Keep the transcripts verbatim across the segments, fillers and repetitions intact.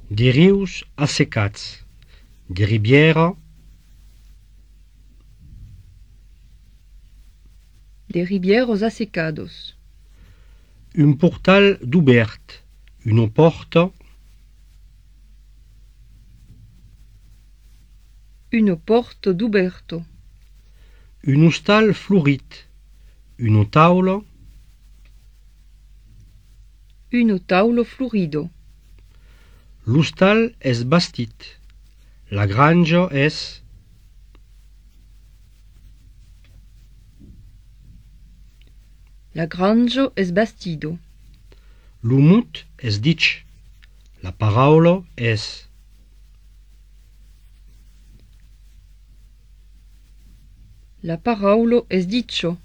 de rius assecats, de riviera, de ribieros assecados, un portal d'obert, una porta, une porte d'oberto, un hostal florit, una taula, une taulo florido. l'hostal és bastit, la granja és La granjo es bastido. l'humut és ditx, la paraula és La paraulo es dicho.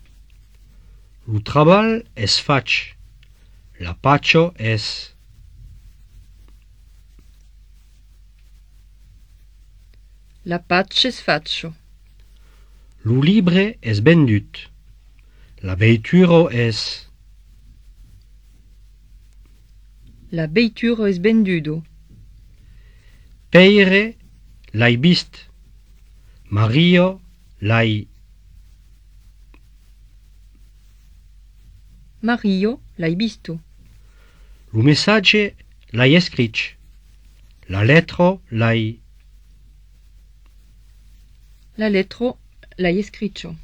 lo treball és faig, la pacho és La pace es faccio. lo libre és vendut, la veitura és La veituro es vendudo. Peire l'hai vist, Maria l'hai Mario l'hai visto. lo messatge l'hai escrit, la letra l'hai La lettro l'hai escrito.